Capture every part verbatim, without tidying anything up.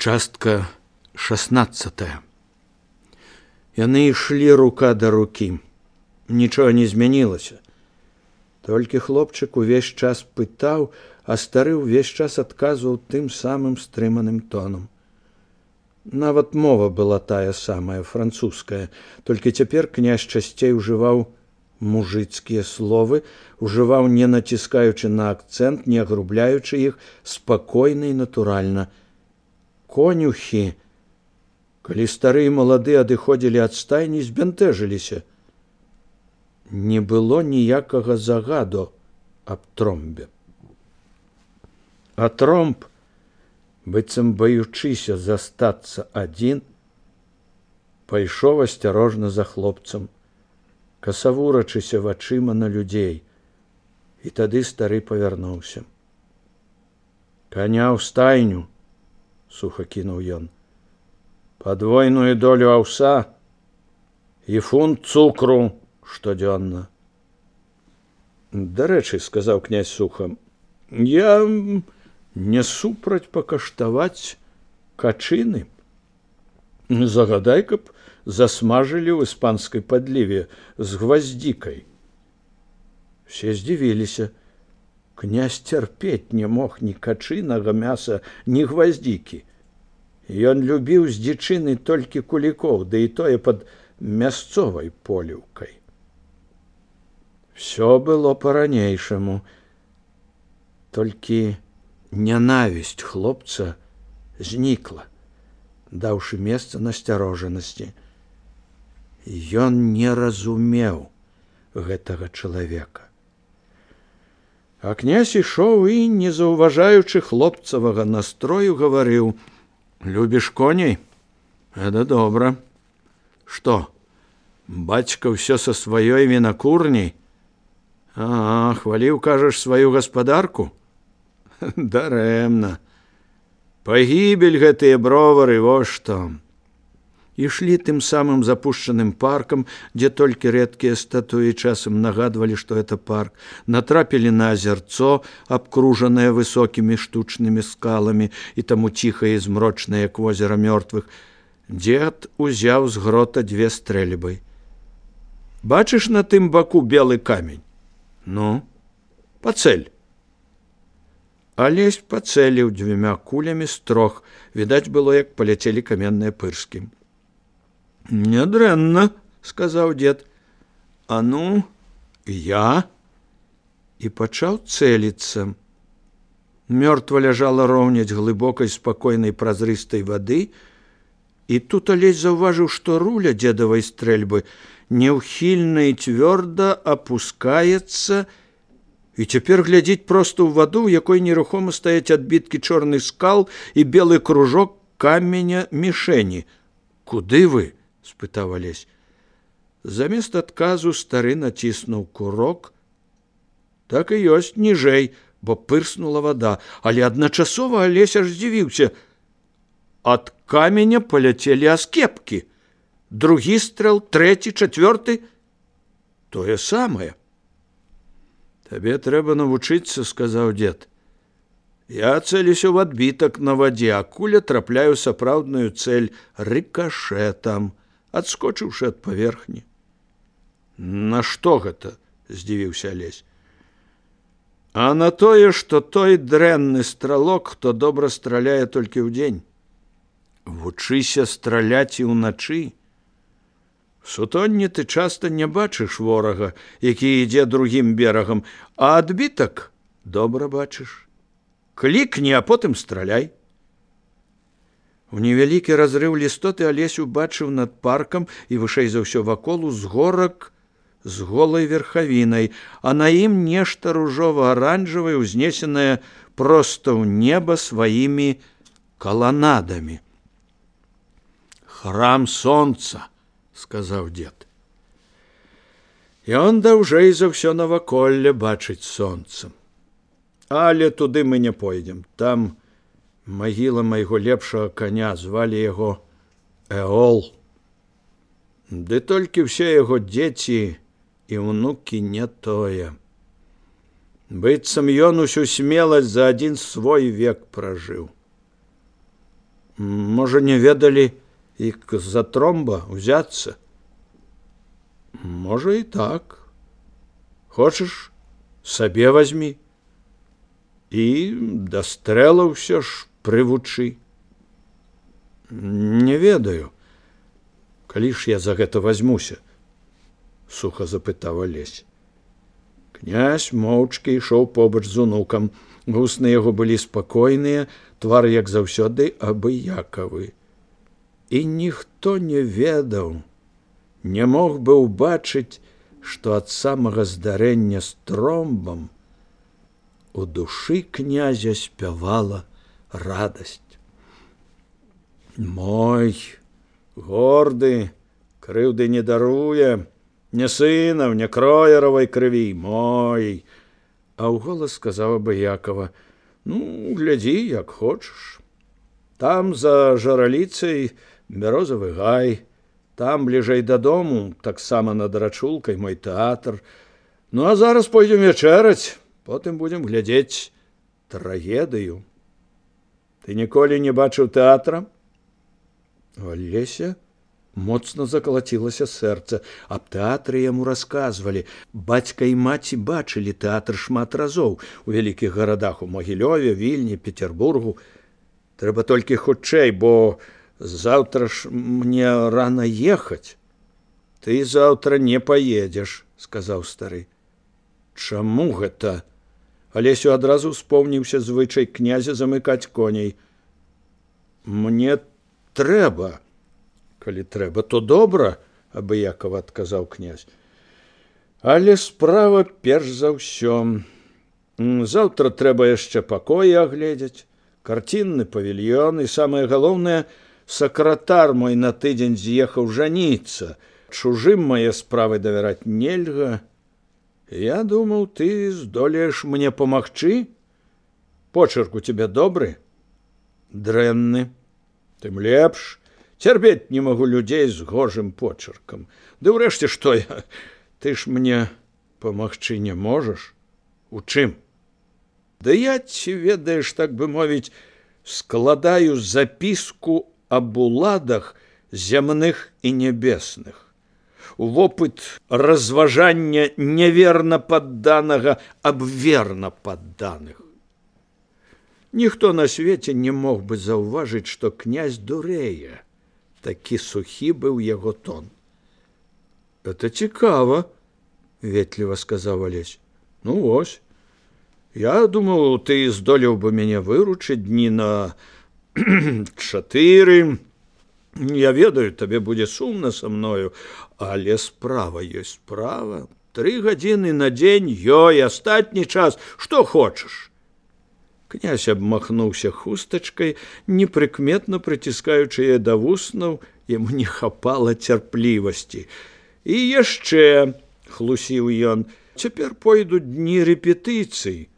Частка шестнадцатая. Яны ішлі рука да рукі. Нічога не змянілася. Толькі хлопчык увесь час пытаў, а стары ўвесь час адказваў тым самым стрыманым тонам. Нават мова была тая самая, французская, толькі цяпер князь часцей ужываў мужыцкія словы, ужываў не націскаючы на акцэнт, не агрубляючы іх, спакойна і натуральна. Конюхі, калі стары і малады адыходзілі ад стайні, збянтэжыліся. Не было ніякага загаду аб тромбе. А тромб, быццам баючыся застацца адзін, пайшоў асцярожна за хлопцам, касавурачыся вачыма на людзей, і тады стары павярнуўся. «Каня ў стайню!» — сухо кінуў ён. «Падвойную долю аўса і фунт цукру штодзённа». «Дарэчы, — сказаў князь суха, — я не супраць пакаштаваць качыны. Загадай, каб засмажылі ў іспанскай падліве з гваздзікай». Все здзівіліся. Князь цярпець не мог ні качынага мяса, ні гваздзікі. Ён любіў з дзічыны толькі кулікоў, ды і тое пад мясцовай поліўкай. Всё было па-ранейшаму, толькі нянавісць хлопца знікла, даўшы месца насцярожанасці. Ён не разумеў гэтага чалавека. А князь ішоў і, не заўважаючы хлопцавага настрою, гаварыў: «Любіш коней? Это добра. Што, бацька ўсё са сваёй вінакурняй? А, хваліў, кажаш, сваю гаспадарку? Дарэмна. Пагібель гэтыя бровары, во што». Ішлі тым самым запушчаным паркам, дзе толькі рэдкія статуі часам нагадвалі, што это парк, натрапілі на азярцо, абкружанае высокімі штучнымі скаламі і таму ціхае і змрочнае, як возера мёртвых. Дзед узяў з грота дзве стрэльбы. «Бачыш на тым баку белы камень? Ну, пацэль». Алесь пацэліў дзвюма кулямі з трох. Відаць было, як паляцелі каменныя пырскі. «Нядрэнна, — сказаў дзед. — А ну, я?» І пачаў цэліцца. Мёртва ляжала роўняць глыбокай, спакойнай, празрыстай вады, і тут Алесь заўважыў, што руля дзедавай стрэльбы неўхільна і цвёрда апускаецца і цяпер глядзіць проста ў ваду, у якой нерухома стаяць адбіткі чорных скал і белы кружок каменя мішэні. «Куды вы?» — спытаў Алесь. Замест адказу стары націснуў курок. Так і ёсць, ніжэй, бо пырснула вада, але адначасова Алесь аж здзівіўся. Ад каменя паляцелі аскепкі. Другі стрэл, трэці, чацвёрты. Тое самае. «Табе трэба навучыцца, — сказаў дзед. Я цэлюся ў адбітак на вадзе, а куля трапляю сапраўдную цэль рыкашэтам, адскочыўшы ад паверхні». «На што гэта?» — здзівіўся Алесь. «А на тое, што той дрэнны стралок, хто добра страляе толькі ўдзень. Вучыся страляць і ўначы. Сутонні ты часта не бачыш ворага, які ідзе другім берагам, а адбітак добра бачыш. Клікні, а потым страляй». У невялікі разрыў лістоты Алесь убачыў над паркам і вышэй за ўсё вакол узгорак з голай верхавінай, а на ім нешта ружова-аранжавае, узнесенае проста ў неба сваімі каланадамі. «Храм сонца, — сказаў дзед. Ён даўжэй за ўсё наваколле бачыць сонца. Але туды мы не пойдзем. Там магіла майго лепшага каня, звалі яго Эол. Ды толькі ўсе яго дзеці і ўнукі не тое. Быццам ён усю смеласць за адзін свой век пражыў. Можа, не ведалі і з-за тромба узяцца? Можа, і так. Хочаш, сабе вазьмі. І да стрэла ўсё ж прывучы. Не ведаю, калі ж я за гэта вазьмуся, суха запытаў Алесь. Князь моўчкі ішоў побач з унукам. Вусны яго былі спакойныя, твар, як заўсёды, абыякавы. І ніхто не ведаў, не мог бы ўбачыць, што ад самага здарэння з тромбам у душы князя спявала радасць. Мой, горды, крыўды не даруе, не сынаў, не кроеравай крыві, мой. А ўголас сказаў абыякава: ну, глядзі, як хочаш. Там за жараліцай бярозавы гай, там бліжэй дадому, таксама над рачулкай, мой тэатр. Ну, а зараз пойдзем вечэраць, потым будзем глядзець трагедыю. Ты ніколі не бачыў тэатра? У Алеся моцна закалацілася сэрца. Аб тэатры яму расказвалі. Бацька і маці бачылі тэатр шмат разоў у вялікіх гарадах, у Магілёве, Вільні, Петербургу. Трэба толькі хутчэй, бо заўтра ж мне рана ехаць. Ты заўтра не паедзеш, сказаў стары. Чаму гэта? Алесю адразу успомніўся звычай князя замыкаць коней. Мне трэба. Калі трэба, то добра, абыякава адказаў князь. Але справа перш за ўсё. Заўтра трэба яшчэ пакоі агледзець, карцінны павільён, і самае галоўнае, сакратар мой на тыдзень з'ехаў жаніцца. Чужым мае справы давяраць нельга. Я думаў, ты здолееш мне памагчы? Почерк у тебе добры? Дрэнны. Тым лепш. Цярпець не магу людзей з гожым почеркам. Ды ўрэшце, што я? Ты ж мне памагчы не можаш? У чым? Да я, ці ведаеш, так бы мовіць, складаю запіску аб уладах зямных і нябесных. У вопыт разважання неверна падданага аб верна падданых. Ніхто на свеце не мог бы заўважыць, што князь дурэе. Такі сухі быў яго тон. Это цікава, ветліва сказаў Алесь. Ну вось. Я думаў, ты здолеў бы мяне выручыць дні на чатыры. Я ведаю, табе будзе сумна са мною, але справа ёсць справа. Тры гадзіны на дзень ёй, астатні час, што хочаш. Князь абмахнуўся хустачкай, непрыкметна прыціскаючы яе да вуснаў, яму не хапала цярплівасці. І яшчэ, хлусіў ён, цяпер пойдуць дні рэпетыцый.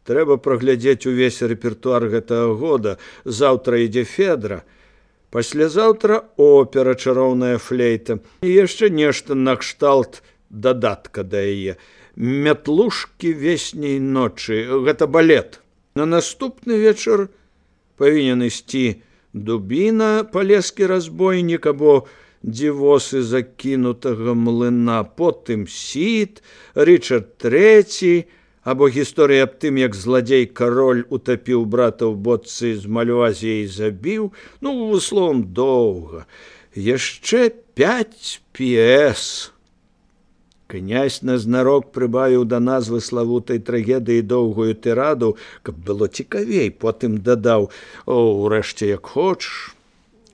Трэба праглядзець увесь рэпертуар гэтага года. Заўтра ідзе Федра. Паслязаўтра опера «Чароўная флейта». І яшчэ нешта накшталт дадатка да яе. «Мятлушкі весняй ночы». Гэта балет. На наступны вечар павінен ісці «Дубіна», «Палескі разбойнік» або «Дзівосы закінутага млына», потым «Сід», «Рычард трэці», або гісторыя аб тым, як зладзей-кароль утапіў брата ў бочцы з мальвазіяй і забіў. Ну, словам, доўга. Яшчэ пяць п'ес. Князь назнарок прыбавіў да назвы славутай трагедыі доўгую тыраду, каб было цікавей, потым дадаў: «О, урэшце, як хочаш.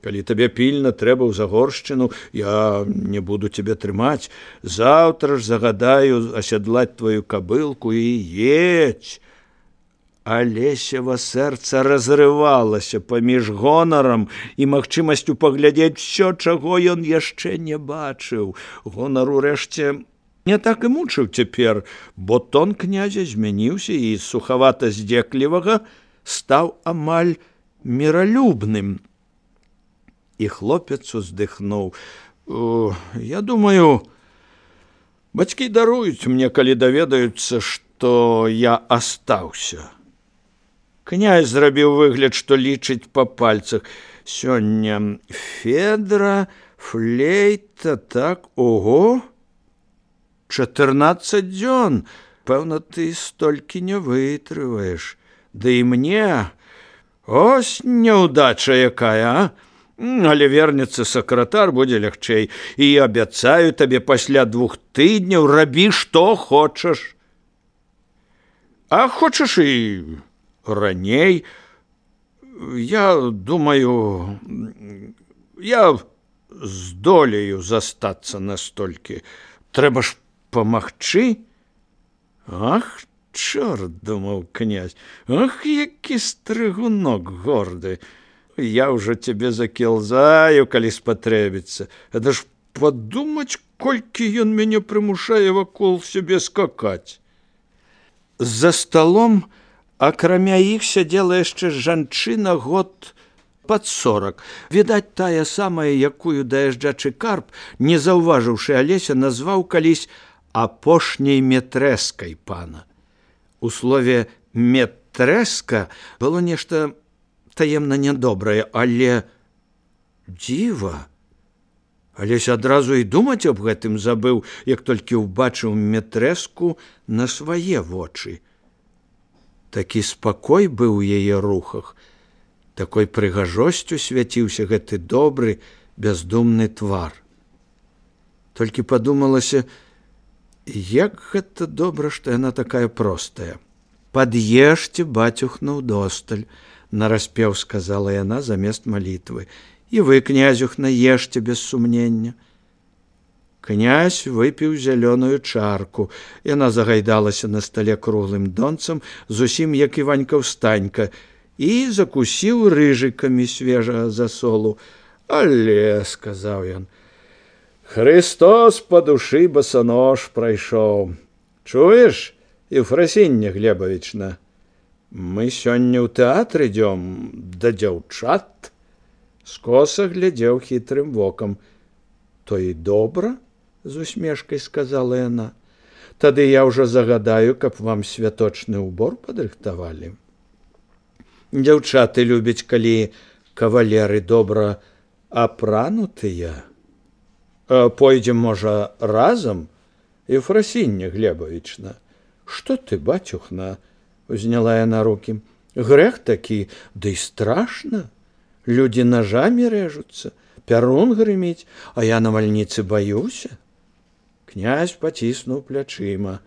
Калі табе пільна трэба ў Загоршчыну, я не буду цябе трымаць. Заўтра ж загадаю асядлаць твою кабылку і едзь». Алесева сэрца разрывалася паміж гонарам і магчымасцю паглядзець усё, чаго ён яшчэ не бачыў. Гонар, урэшце, не так і мучыў цяпер, бо тон князя змяніўся і з сухавата-здзеклівага стаў амаль міралюбным. І хлопец уздыхнуў. Я думаю, бацькі даруюць мне, калі даведаюцца, што я астаўся. Князь зрабіў выгляд, што лічыць па пальцах. Сёння федра, флейта, так, ого, чатырнаццаць дзён. Пэўна, ты столькі не вытрываеш. Ды і мне, ось няўдача якая, а? Але вернецца сакратар, будзе лягчэй. І абяцаю табе, пасля двух тыдняў рабі, што хочаш. А хочаш і раней. Я думаю, я здолею застацца настолькі. Трэба ж памагчы. Ах, чорт, думаў князь, ах, які стрыгунок горды. Я ўжо цябе закілзаю, калі спатрэбіцца. Гэта ж падумаць, колькі ён мяне прымушае вакол сябе скакаць. За сталом, акрамя іх, сядзела яшчэ жанчына год пад сорак. Відаць, тая самая, якую даязджачы карп, не заўважыўшы Алеся, назваў калісь апошняй метрэскай пана. У слове метрэска было нешта таемна нядобрае, але дзіва. Алесь адразу і думаць аб гэтым забыў, як толькі ўбачыў метрэску на свае вочы. Такі спакой быў у яе рухах, такой прыгажосцю свяціўся гэты добры, бяздумны твар. Толькі падумалася, як гэта добра, што яна такая простая. «Пад'ешце, бацюхна, удосталь», – нараспеў сказала яна замест малітвы. «І вы, князюхна, ешце без сумнення». Князь выпіў зялёную чарку. Яна загайдалася на стале круглым донцам, зусім як Іванька-ўстанька, і закусіў рыжыкамі свежага засолу. «Але», – сказаў ён, – «Христос па душы басанож прайшоў. Чуеш, Ефрасіння Глебавічна, мы сёння ў тэатр ідём да дзяўчат». Скоса глядзеў хітрым вокам. «То і добра», – з усмешкай сказала яна. «Тады я ўжо загадаю, каб вам святочны ўбор падрыхтавалі. Дзяўчаты любяць, калі кавалеры добра апранутыя. Пойдзем, можа, разам, Ефрасіння Глебавічна». «Што ты, бацюхна?» – узняла яна рукі. «Грэх такі, ды і страшна. Людзі нажамі рэжуцца, пярун грыміць, а я на вальніцы баюся». Князь паціснуў плячыма.